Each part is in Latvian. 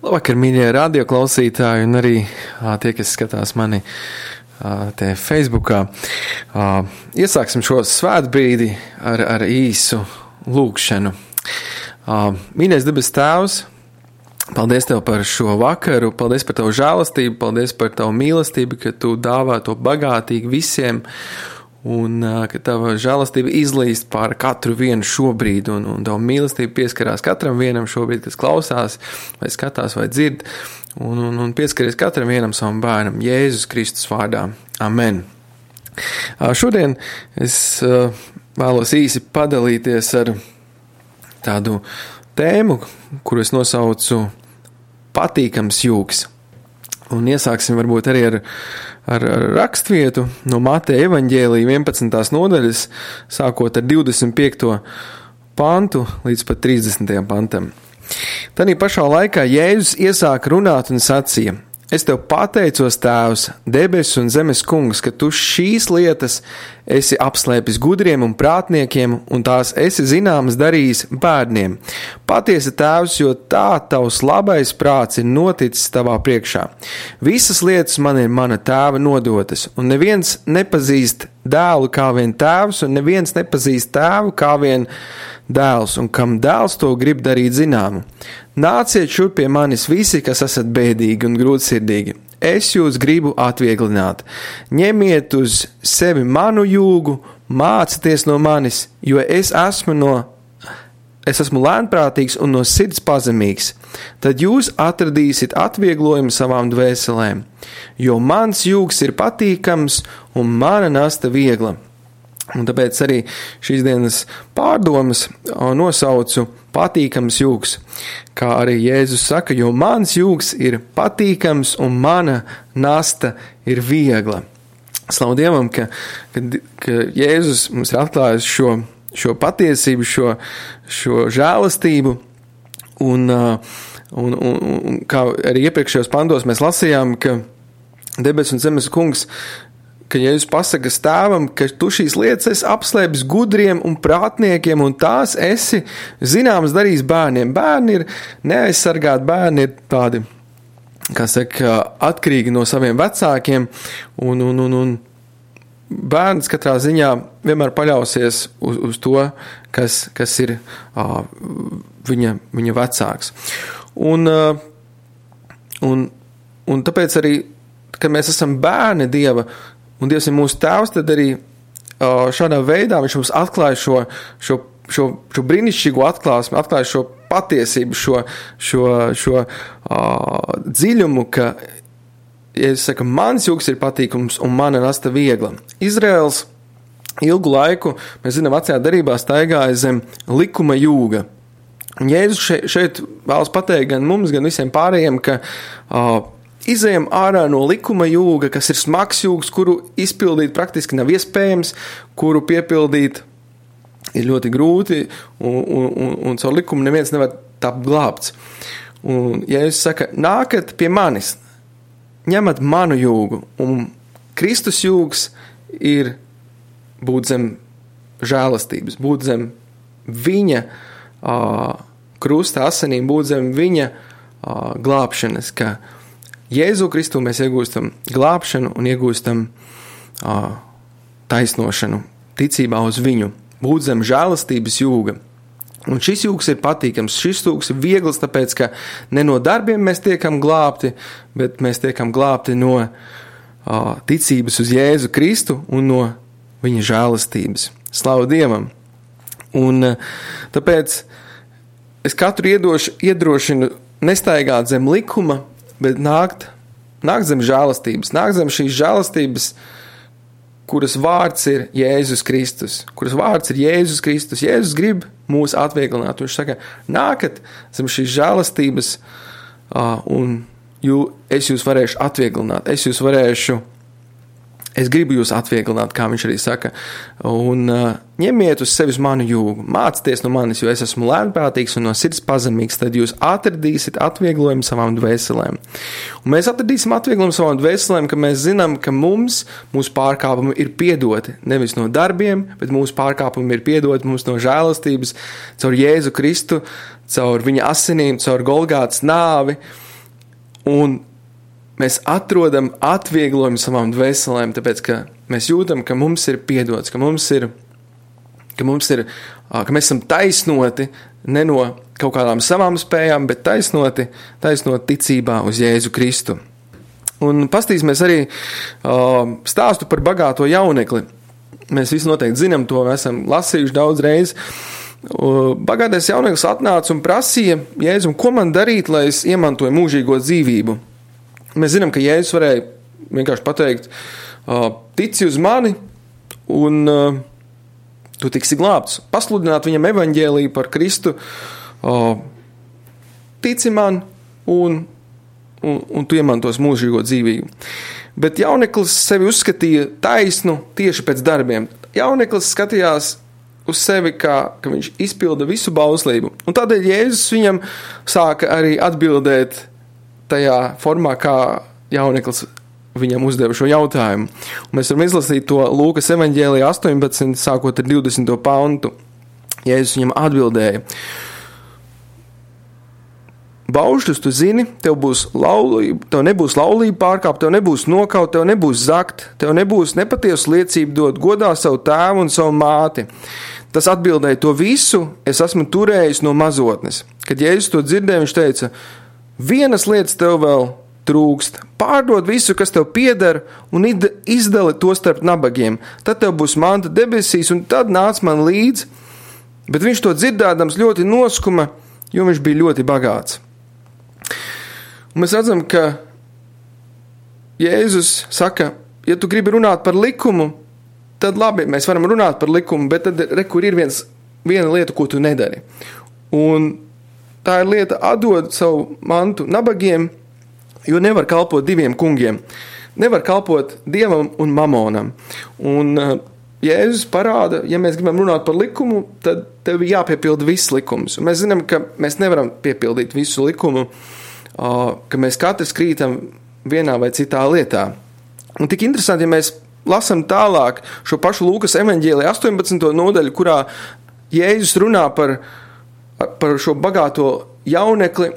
Labvakar, mīļie radioklausītāji un arī tie, kas skatās mani te Facebookā. Iesāksim šo svētbrīdi ar īsu lūgšanu. Mīļais debes Tēvs, paldies Tev par šo vakaru, paldies par Tavu žēlastību, paldies par Tavu mīlestību, ka Tu dāvā to bagātīgi visiem un ka Tava žēlastība izlīst pār katru vienu šobrīd un Tava mīlestība pieskarās katram vienam šobrīd, kas klausās vai skatās vai dzird un pieskaries katram vienam savam bērnam Jēzus Kristus vārdā. Amen. Šodien es vēlos īsi padalīties ar tādu tēmu, kuru es nosaucu patīkams jūgs. Un iesāksim varbūt arī ar rakstvietu no Mateja evaņģēlija 11. nodaļas, sākot ar 25. pantu līdz pat 30. pantam. Tanī pašā laikā Jēzus iesāka runāt un sacīja: Es Tev pateicos, Tēvs, debesu un zemes kungs, ka Tu šīs lietas esi apslēpis gudriem un prātniekiem, un tās esi zināmas darījis bērniem. Patiesi, Tēvs, jo tā Tavs labais prāts ir noticis Tavā priekšā. Visas lietas man ir mana Tēva nodotas, un neviens nepazīst dēlu kā vien Tēvs, un neviens nepazīst Tēvu kā vien dēls, un kam dēls to grib darīt zināmu. Nāciet šurp pie manis visi, kas esat bēdīgi un grūtsirdīgi. Es jūs gribu atvieglināt. Ņemiet uz sevi manu jūgu, mācieties no manis, jo es esmu lēnprātīgs un no sirds pazemīgs. Tad jūs atradīsiet atvieglojumu savām dvēselēm, jo mans jūgs ir patīkams un mana nasta viegla. Un tāpēc arī šīs dienas pārdomas nosaucu patīkams jūgs, kā arī Jēzus saka, jo mans jūgs ir patīkams un mana nasta ir viegla. Slavu Dievam, ka Jēzus mums ir atklājis šo patiesību, šo žēlastību, un kā arī iepriekšējos pantos mēs lasījām, ka debes un zemes kungs, ka Jēzus pasaka tēvam, ka tu šīs lietas esi apslēpis gudriem un prātniekiem, un tās esi zināmas darījis bērniem. Bērni ir neaizsargāti, bērni ir tādi, kā saka, atkarīgi no saviem vecākiem, un bērns katrā ziņā vienmēr paļausies uz to, kas ir viņa vecāks. Un tāpēc arī, kad mēs esam bērni Dieva, un Dievs ir mūsu tēvs, tad arī šādā veidā viņš mums atklāja šo brīnišķīgo atklāsmi, atklāja šo patiesību, šo dziļumu, ka, ja es saku, mans jūgs ir patīkums un mana nasta viegla. Izraels ilgu laiku, mēs zinām, vecajā darībā staigāja zem likuma jūga. Un Jēzus šeit vēlas pateikt gan mums, gan visiem pārējiem, ka izejam ārā no likuma jūga, kas ir smags jūgs, kuru izpildīt praktiski nav iespējams, kuru piepildīt ir ļoti grūti, un caur likumu neviens nevar tapt glābts. Un Jēzus saka, nākat pie manis, ņemat manu jūgu, un Kristus jūgs ir būt zem žēlastības, būt zem viņa krusta asinīm, būt zem viņa glābšanas, ka Jēzu Kristu mēs iegūstam glābšanu un iegūstam taisnošanu ticībā uz viņu, būt zem žēlastības jūga. Un šis jūgs ir patīkams, šis jūgs ir viegls, tāpēc, ka ne no darbiem mēs tiekam glābti, bet mēs tiekam glābti no ticības uz Jēzu Kristu un no viņa žēlastības. Slavu Dievam! Un tāpēc es katru iedrošinu nestaigāt zem likuma, bet nākt zem žēlastības, nākt zem šīs žēlastības, kuras vārds ir Jēzus Kristus, Jēzus grib mūs atvieglināt. Viņš saka, nākat zem šīs žēlastības, un es jūs varēšu atvieglināt, es gribu jūs atvieglināt, kā viņš arī saka, un ņemiet uz sevis manu jūgu, mācieties no manis, jo es esmu lēnprātīgs un no sirds pazemīgs, tad jūs atradīsiet atvieglojumu savām dvēselēm. Un mēs atradīsim atvieglojumu savām dvēselēm, ka mēs zinām, ka mūsu pārkāpumi ir piedoti, nevis no darbiem, bet mūsu pārkāpumi ir piedoti mums no žēlastības, caur Jēzu Kristu, caur viņa asinīm, caur Golgātas nāvi, un mēs atrodam atvieglojumu savām dvēselēm, tāpēc, ka mēs jūtam, ka mums ir piedots, ka mēs esam taisnoti ne no kaut kādām savām spējām, bet taisnoti ticībā uz Jēzu Kristu. Un pastīsimies arī stāstu par bagāto jaunekli. Mēs visi noteikti zinām to, esam lasījuši daudz reizi. Bagātais jauneklis atnāca un prasīja Jēzum, ko man darīt, lai es iemantoju mūžīgo dzīvību. Mēs zinām, ka Jēzus varēja vienkārši pateikt, tici uz mani un tu tiksi glābts. Pasludināt viņam evaņģēliju par Kristu, tici man un tu iemantos mūžīgo dzīvību. Bet jauneklis sevi uzskatīja taisnu tieši pēc darbiem. Jauneklis skatījās uz sevi, ka viņš izpilda visu bauslību. Un tādēļ Jēzus viņam sāka arī atbildēt tajā formā, kā jauneklis viņam uzdeva šo jautājumu. Un mēs varam izlasīt to Lūkas evaņģēlijā 18, sākot ar 20. pantu. Jēzus viņam atbildēja: Baušļus tu zini, tev nebūs laulība pārkāpt, tev nebūs nokaut, tev nebūs zakt, tev nebūs nepatiesu liecību dot, godā savu tēvu un savu māti. Tas atbildēja: to visu es esmu turējis no mazotnes. Kad Jēzus to dzirdēja, viņš teica: vienas lietas tev vēl trūkst. Pārdod visu, kas tev pieder, un izdali to starp nabagiem. Tad tev būs manta debesīs, un tad nāc man līdz. Bet viņš to dzirdēdams ļoti noskuma, jo viņš bija ļoti bagāts. Un mēs redzam, ka Jēzus saka, ja tu gribi runāt par likumu, tad labi, mēs varam runāt par likumu, bet tad kur ir viena lieta, ko tu nedari. Un tā ir lieta atdot savu mantu nabagiem, jo nevar kalpot diviem kungiem. Nevar kalpot Dievam un mamonam. Un Jēzus parāda, ja mēs gribam runāt par likumu, tad tev ir jāpiepilda viss likums. Un mēs zinām, ka mēs nevaram piepildīt visu likumu, ka mēs katrs krītam vienā vai citā lietā. Un tik interesanti, ja mēs lasam tālāk šo pašu Lūkas evaņģēliju 18. nodaļu, kurā Jēzus runā par šo bagāto jaunekli,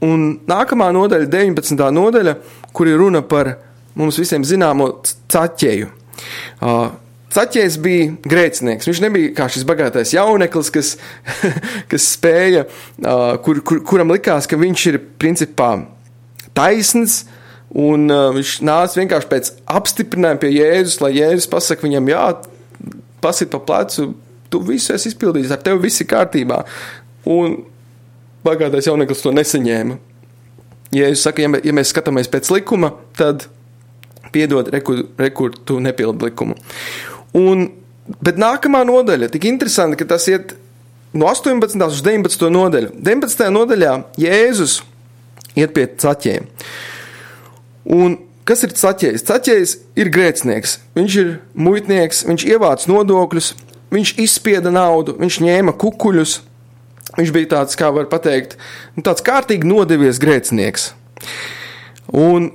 un nākamā nodaļa, 19. nodaļa, kur ir runa par mums visiem zināmo Caķeju. Caķejs bija grēcinieks. Viņš nebija kā šis bagātais jauneklis, kas spēja, kuram likās, ka viņš ir principā taisns, un viņš nāca vienkārši pēc apstiprinājuma pie Jēzus, lai Jēzus pasaka viņam, jā, pasit pa plecu, tu visu esi izpildījis, ar tevi viss ir kārtībā. Un bagātais jauneklis to nesaņēma. Jēzus saka, ja mēs skatāmies pēc likuma, tad piedod, rekur tu nepildi likumu. Bet nākamā nodaļa, tik interesanti, ka tas iet no 18. uz 19. nodaļu. 19. nodaļā Jēzus iet pie Caķeja. Un kas ir Caķejs? Caķejs ir grēcinieks. Viņš ir muitnieks, viņš ievāc nodokļus, viņš izspieda naudu, viņš ņēma kukuļus. Viņš bija tāds, kā var pateikt, tāds kārtīgi nodevies grēcinieks. Un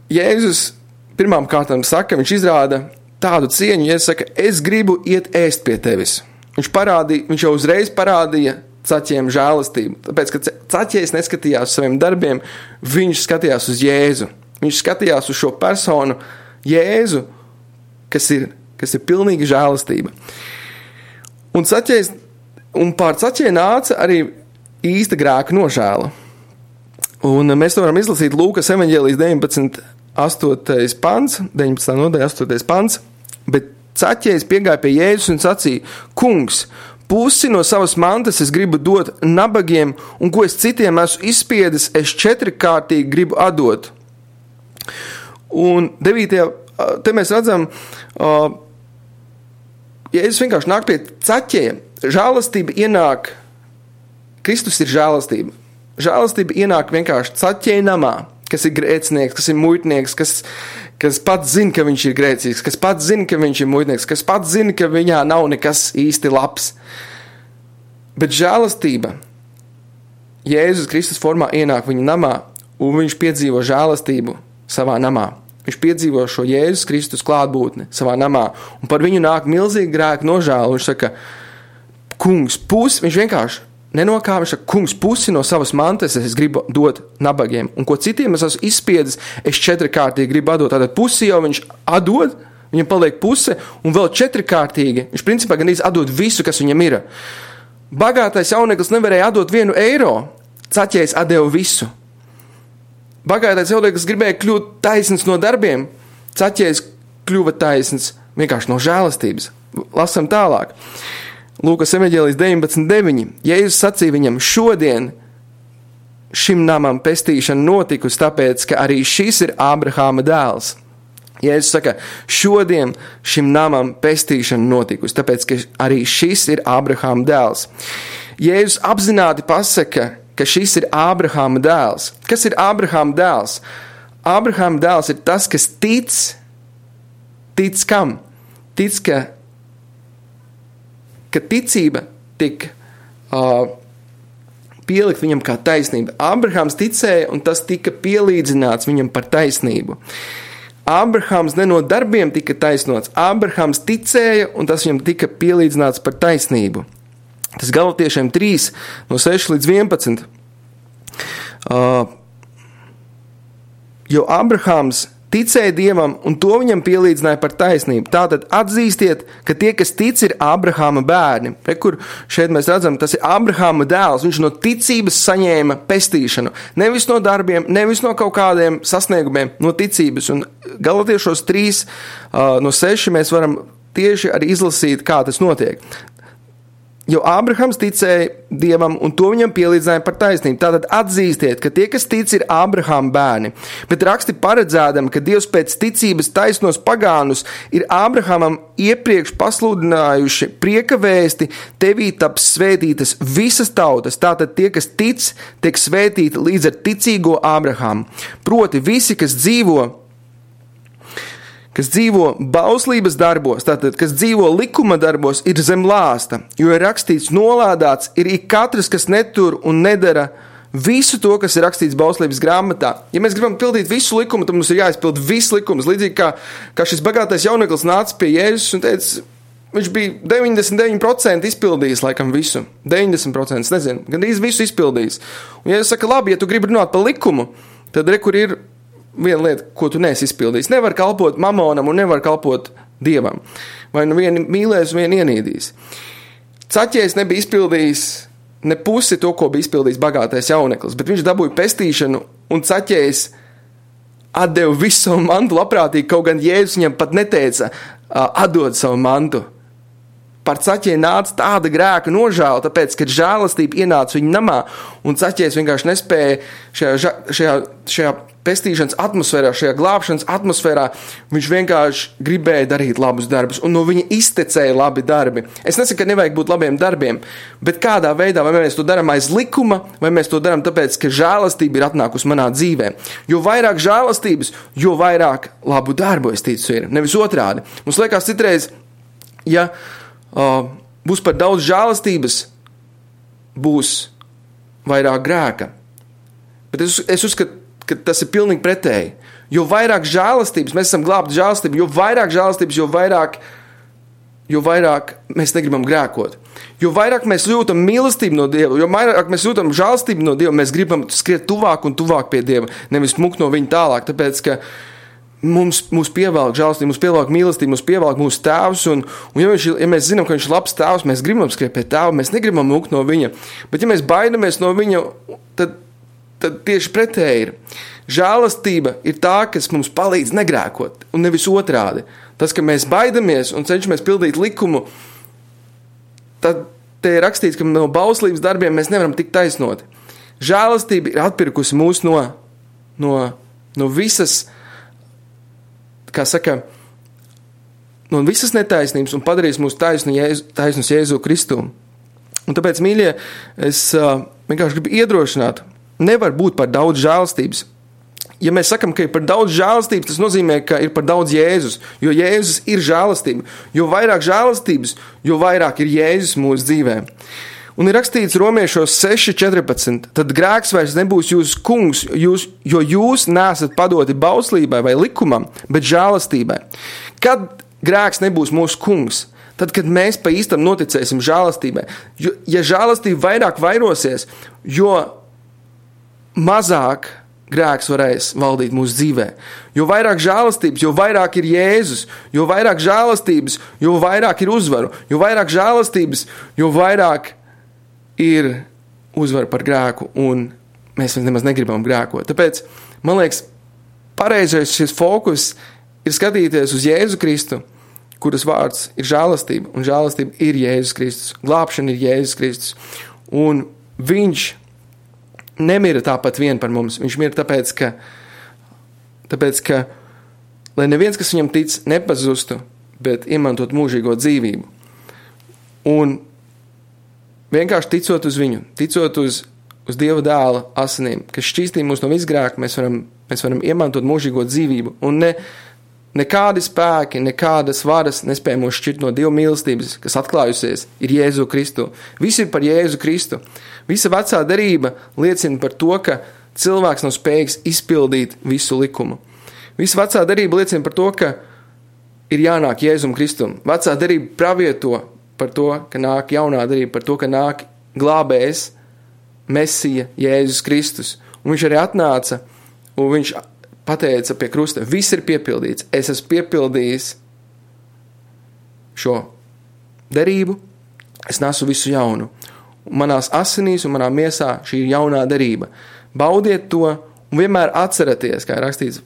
Jēzus pirmām kārtām saka, viņš izrāda tādu cieņu, ja saka, es gribu iet ēst pie tevis. Viņš jau uzreiz parādīja Caķiem žēlastību, tāpēc, ka Caķējs neskatījās uz saviem darbiem, viņš skatījās uz Jēzu. Viņš skatījās uz šo personu Jēzu, kas ir pilnīga žēlastība. Un pār Caķeju nāca arī īsta grēka nožēla. Un mēs to varam izlasīt Lūkas evaņģēlijas 19. pants, 19. nodaļa 8. pants, bet Caķejs piegāja pie Jēzus un sacīja, kungs, pusi no savas mantas es gribu dot nabagiem, un ko es citiem esmu izspiedis, es 4-kārtīgi gribu atdot. Un 9. te mēs redzam, Jēzus vienkārši nāk pie Caķeja. Žēlastība ienāk, Kristus ir žēlastība. Žēlastība ienāk vienkārši Caķeja namā, kas ir grēcinieks, kas ir muitnieks, kas pats zina, ka viņš ir grēcīgs, kas pats zina, ka viņš ir muitnieks, kas pats zina, ka viņā nav nekas īsti labs. Bet žēlastība Jēzus Kristus formā ienāk viņa namā, un viņš piedzīvo žēlastību savā namā. Viņš piedzīvo šo Jēzus Kristus klātbūtni savā namā, un par viņu nāk milzīgi grēka nožēla. Viņš saka, kungs, viņš vienkārši nenokāva, viņš saka, kungs, pusi no savas mantas es gribu dot nabagiem, un ko citiem es esmu izspiedis, es 4-kārtīgi gribu atdot. Tātad pusi jau viņš atdod, viņam paliek puse, un vēl 4-kārtīgi, viņš principā gandrīz atdod visu, kas viņam ir. Bagātais jauneklis nevarēja atdot 1 eiro, Zaķejs atdeva visu. Bagātais jauneklis gribēja kļūt taisns no darbiem, Zaķejs kļuva taisns vienkārši no žēlastības. Lasam tālāk. Lūkas evaņģēlijs 19:9. Jēzus sacīja viņam, šodien šim namam pestīšana notikusi, tāpēc, ka arī šis ir Ābrahāma dēls. Jēzus saka, šodien šim namam pestīšana notikusi, tāpēc, ka arī šis ir Ābrahāma dēls. Jēzus apzināti pasaka, ka šis ir Ābrahāma dēls. Kas ir Ābrahāma dēls? Ābrahāma dēls ir tas, kas tic kam? Tic, ka ticība tik pielikt viņam kā taisnība. Ābrahāms ticēja, un tas tika pielīdzināts viņam par taisnību. Ābrahāms ne no darbiem tika taisnots. Ābrahāms ticēja, un tas viņam tika pielīdzināts par taisnību. Tas Galatiešiem 3, no 6 līdz 11. Jo Ābrahāms ticēja Dievam, un to viņam pielīdzināja par taisnību. Tātad atzīstiet, ka tie, kas tic, ir Ābrahāma bērni. Kur šeit mēs redzam, tas ir Ābrahāma dēls. Viņš no ticības saņēma pestīšanu. Nevis no darbiem, nevis no kaut kādiem sasniegumiem, no ticības. Un Galatiešos 3, no 6 mēs varam tieši arī izlasīt, kā tas notiek. Jo Ābrahams ticēja Dievam, un to viņam pielīdzināja par taisnību. Tātad atzīstiet, ka tie, kas tic, ir Ābrahama bērni. Bet raksti paredzēdami, ka Dievs pēc ticības taisnos pagānus ir Ābrahamam iepriekš pasludinājuši prieka vēsti, tevī taps svētītas visas tautas. Tātad tie, kas tic, tiek svētīti līdz ar ticīgo Ābrahamu. Proti visi, kas dzīvo bauslības darbos, tātad, kas dzīvo likuma darbos, ir zem lāsta, jo ir rakstīts nolādāts, ir ik katrs, kas netur un nedara visu to, kas ir rakstīts bauslības grāmatā. Ja mēs gribam pildīt visu likumu, tad mums ir jāizpild viss likums, līdzīgi kā šis bagātais jauneklis nāca pie Jēzus un teica, viņš bija 99% izpildījis laikam visu, 90%, nezinu, gandrīz visu izpildījis. Un Jēzus saka, labi, ja tu gribi runāt par likumu, tad kur ir viena lieta, ko tu neesi izpildījis. Nevar kalpot mamonam un nevar kalpot Dievam. Vai nu vienu mīlēs, vienu ienīdīs. Zaķejs nebija izpildījis ne pusi to, ko bija izpildījis bagātais jauneklis, bet viņš dabūja pestīšanu, un Zaķejs atdeva visu savu mantu labprātīgi, kaut gan Jēzus viņam pat neteica atdod savu mantu. Par Zaķeju nāca tāda grēka nožēla, tāpēc, ka žēlastība ienāca viņa namā, un Zaķejs vienkārši nespēja šajā pestīšanas atmosfērā, šajā glābšanas atmosfērā, viņš vienkārši gribēja darīt labus darbus, un no viņa iztecēja labi darbi. Es nesaku, ka nevajag būt labiem darbiem, bet kādā veidā, vai mēs to darām aiz likuma, vai mēs to darām tāpēc, ka žēlastība ir atnākusi manā dzīvē. Jo vairāk žēlastības, jo vairāk labu darbu, es ticu, ir. Nevis otrādi. Mums liekas citreiz, ja būs par daudz žēlastības, būs vairāk grēka. Bet es uzskatu, ka tas ir pilnīgi pretēji. Jo vairāk žēlastības, mēs esam glābti žēlastību, jo vairāk žēlastības, jo vairāk mēs negribam grēkot. Jo vairāk mēs jūtam mīlestību no Dieva, jo vairāk mēs jūtam žēlastību no Dieva, mēs gribam skriet tuvāk un tuvāk pie Dieva, nevis mukt no viņa tālāk, tāpēc, ka mūs pievelk žēlastību, mūs pievelk mīlestību, mūs pievelk mūsu tēvs, un ja mēs zinām, ka viņš ir labs tēvs, mēs gribam skriet pie tēva, mēs negribam mukt no viņa. Bet ja mēs baidamies no viņa, tad tieši pretēji ir. Žēlastība ir tā, kas mums palīdz negrēkot, un nevis otrādi. Tas, ka mēs baidamies un cenšamies pildīt likumu, tad te ir rakstīts, ka no bauslības darbiem mēs nevaram tikt taisnoti. Žēlastība ir atpirkusi mūs no visas, kā saka, no visas netaisnības un padarīs mūs taisnus Jēzu Kristu. Un tāpēc, mīļie, es vienkārši gribu iedrošināt, nevar būt par daudz žēlastības. Ja mēs sakam, ka ir par daudz žēlastības, tas nozīmē, ka ir par daudz Jēzus, jo Jēzus ir žēlastība. Jo vairāk žēlastības, jo vairāk ir Jēzus mūsu dzīvē. Un ir rakstīts Romiešos 6:14, tad grēks vairs nebūs jūsu kungs, jo jūs neesat padoti bauslībai vai likumam, bet žēlastībai. Kad grēks nebūs mūsu kungs? Tad, kad mēs pa īstam noticēsim žēlastībai, ja žēlastība vairāk vairosies, jo mazāk grēks varēs valdīt mūsu dzīvē. Jo vairāk žēlastības, jo vairāk ir Jēzus, jo vairāk žēlastības, jo vairāk ir uzvaru, jo vairāk žēlastības, jo vairāk ir uzvara par grēku, un mēs nemaz negribam grēkot. Tāpēc, man liekas, pareizais šis fokus ir skatīties uz Jēzu Kristu, kuras vārds ir žēlastība, un žēlastība ir Jēzus Kristus. Glābšana ir Jēzus Kristus. Un viņš nemira tāpat vien par mums. Viņš mira tāpēc, ka lai neviens, kas viņam tic, nepazustu, bet iemantot mūžīgo dzīvību. Un vienkārši ticot uz viņu, ticot uz Dieva dēla asinīm, kas šķīstīja mūs no visgrēka, mēs varam iemantot mūžīgo dzīvību. Un nekādi spēki, nekādas varas nespēja mūs šķirt no Dieva mīlestības, kas atklājusies, ir Jēzu Kristu. Viss ir par Jēzu Kristu. Visa vecā derība liecina par to, ka cilvēks nav spējīgs izpildīt visu likumu. Visa vecā derība liecina par to, ka ir jānāk Jēzum Kristum. Vecā derība pravieto par to, ka nāk jaunā derība, par to, ka nāk glābējs, Mesija, Jēzus Kristus. Un viņš arī atnāca, un viņš pateica pie krusta, viss ir piepildīts. Es esmu piepildījis šo derību, es nesu visu jaunu. Un manās asinīs un manā miesā šī ir jaunā derība. Baudiet to un vienmēr atceraties, kā ir rakstīts,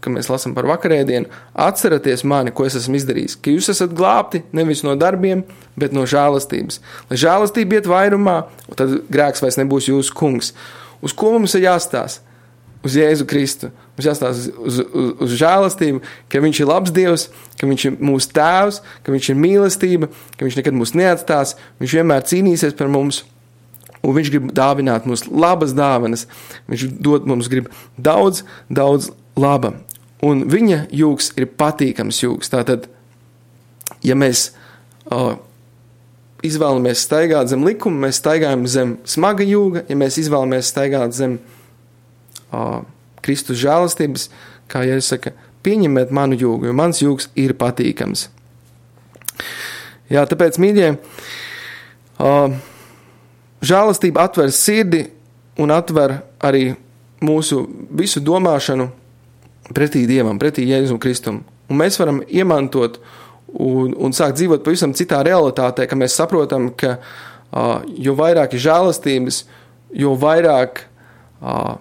ka mēs lasam par vakarēdienu, atceraties mani, ko es esmu izdarījis, ka jūs esat glābti nevis no darbiem, bet no žēlastības. Lai žēlastība iet vairumā, un tad grēks vairs nebūs jūsu kungs. Uz ko mums ir jāstās? Uz Jēzu Kristu. Mums jāstās uz žēlastību, ka viņš ir labs Dievs, ka viņš ir mūsu tēvs, ka viņš ir mīlestība, ka viņš nekad mūs neatstās, viņš vienmēr cīnīsies par mums, un viņš grib dāvināt mums labas dāvanas. Viņš mums grib daudz, daudz laba. Un viņa jūgs ir patīkams jūgs. Tātad, ja mēs izvēlamies staigāt zem likuma, mēs staigājam zem smaga jūga, ja mēs izvēlamies staigāt zem Kristus žēlastības, kā Jēzus saka, pieņemiet manu jūgu, jo mans jūgs ir patīkams. Jā, tāpēc, mīļie, žēlastība atver sirdi un atver arī mūsu visu domāšanu pretī Dievam, pretī Jēzum Kristum. Un mēs varam iemantot un sākt dzīvot pavisam citā realitātē, ka mēs saprotam, ka jo vairāk ir žēlastības, jo vairāk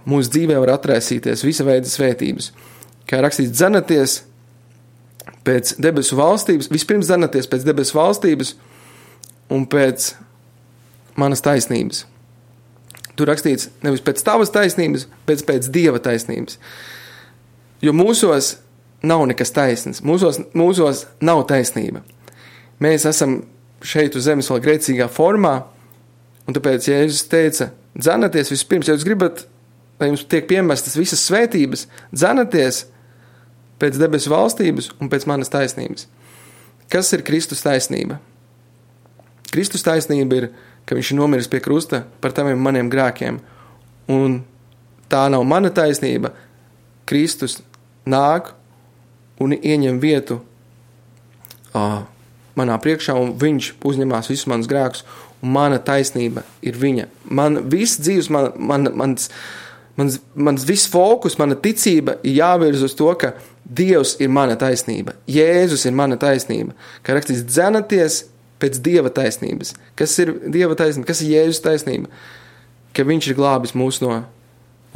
mūsu dzīvē var atraisīties visa veida svētības. Kā rakstīts, dzenaties pēc debesu valstības, vispirms dzenaties pēc debesu valstības un pēc manas taisnības. Tur rakstīts nevis pēc tavas taisnības, bet pēc Dieva taisnības. Jo mūsos nav nekas taisns, mūsos nav taisnība. Mēs esam šeit uz zemes vēl grēcīgā formā, un tāpēc Jēzus teica, dzenaties vispirms, ja jūs gribat, lai jums tiek piemestas visas svētības, dzenaties pēc debesu valstības un pēc manas taisnības. Kas ir Kristus taisnība? Kristus taisnība ir, ka viņš ir nomiris pie krusta par taviem maniem grēkiem, un tā nav mana taisnība. Kristus nāk un ieņem vietu manā priekšā, un viņš uzņemās visus manus grēkus, un mana taisnība ir viņa. Man viss dzīves, mans viss fokus, mana ticība ir jāvirz uz to, ka Dievs ir mana taisnība. Jēzus ir mana taisnība. Kā rakstīts, dzenaties pēc Dieva taisnības. Kas ir Dieva taisnība? Kas ir Jēzus taisnība? Ka viņš ir glābis mūs no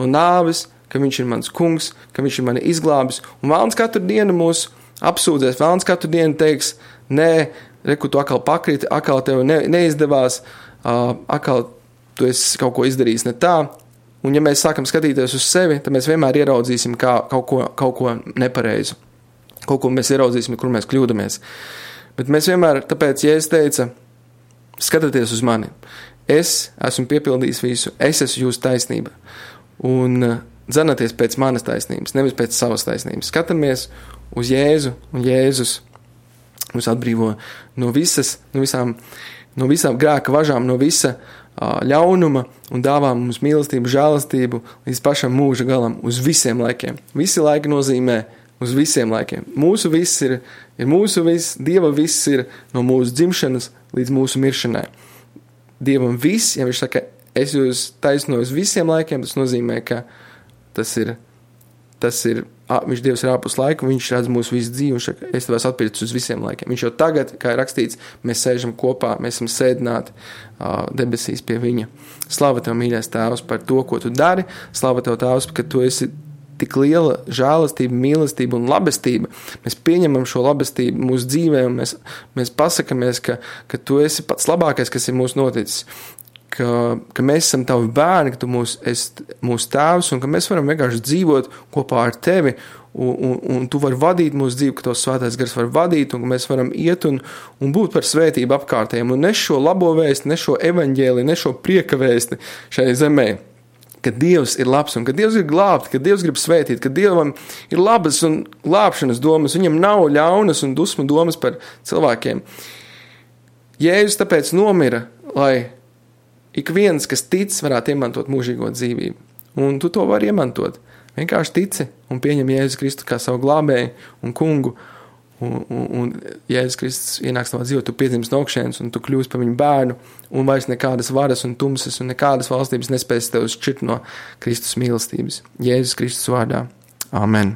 nāves, ka viņš ir mans kungs, ka viņš ir mani izglābis, un vēlns katru dienu mūs apsūdzēs, vēlns katru dienu teiks, nē, reku, tu atkal pakriti, atkal tev neizdevās, atkal tu esi kaut ko izdarījis ne tā, un ja mēs sākam skatīties uz sevi, tad mēs vienmēr ieraudzīsim kaut ko nepareizu, kaut ko mēs ieraudzīsim, kur mēs kļūdamies. Bet mēs vienmēr, tāpēc, ja es teica, skatieties uz mani, es esmu piepildījis visu, es esmu jūsu taisnība, un dzenaties pēc manas taisnības, nevis pēc savas taisnības. Skatāmies uz Jēzu, un Jēzus mūs atbrīvo no visām grēka važām, no visa ļaunuma, un dāvā mums mīlestību, žēlastību līdz pašam mūža galam, uz visiem laikiem. Visi laiki nozīmē uz visiem laikiem. Mūsu viss ir mūsu viss, Dieva viss ir no mūsu dzimšanas līdz mūsu miršanai. Dievam viss, ja viņš saka, es jūs taisnoju uz visiem laikiem, tas nozīmē, ka viņš Dievs ir ārpus laika, viņš redz mūsu visu dzīvi, un saka, es tev esmu atpircis uz visiem laikiem. Viņš jau tagad, kā ir rakstīts, mēs sēžam kopā, mēs esam sēdināti debesīs pie viņa. Slava tev, mīļais Tēvs, par to, ko tu dari. Slava tev, Tēvs, ka tu esi tik liela žēlastība, mīlestība un labestība. Mēs pieņemam šo labestību mūsu dzīvē, un mēs pasakamies, ka tu esi pats labākais, kas ir mūsu noticis. Ka mēs esam tavi bērni, ka tu esi mūsu tēvs, un ka mēs varam vienkārši dzīvot kopā ar tevi, un tu vari vadīt mūsu dzīvi, ka tavs svētais gars var vadīt, un ka mēs varam iet un būt par svētību apkārtējiem, un nes šo labo vēsti, nes šo evaņģēli, nes šo prieka vēsti šai zemē. Ka Dievs ir labs un ka Dievs ir glābt, ka Dievs grib svētīt, ka Dievam ir labas un glābšanas domas, viņam nav ļaunas un dusmu domas par cilvēkiem. Jēzus tāpēc nomira, lai ik viens, kas tic, varētu iemantot mūžīgo dzīvību. Un tu to vari iemantot. Vienkārši tici un pieņem Jēzus Kristu kā savu glābēju un kungu. Un Jēzus Kristus ienāks tavā dzīvē, tu piedzimst no augšienes un tu kļūsi par viņu bērnu, un vairs nekādas varas un tumsas un nekādas valstības nespēs tev šķirt no Kristus mīlestības. Jēzus Kristus vārdā. Amen.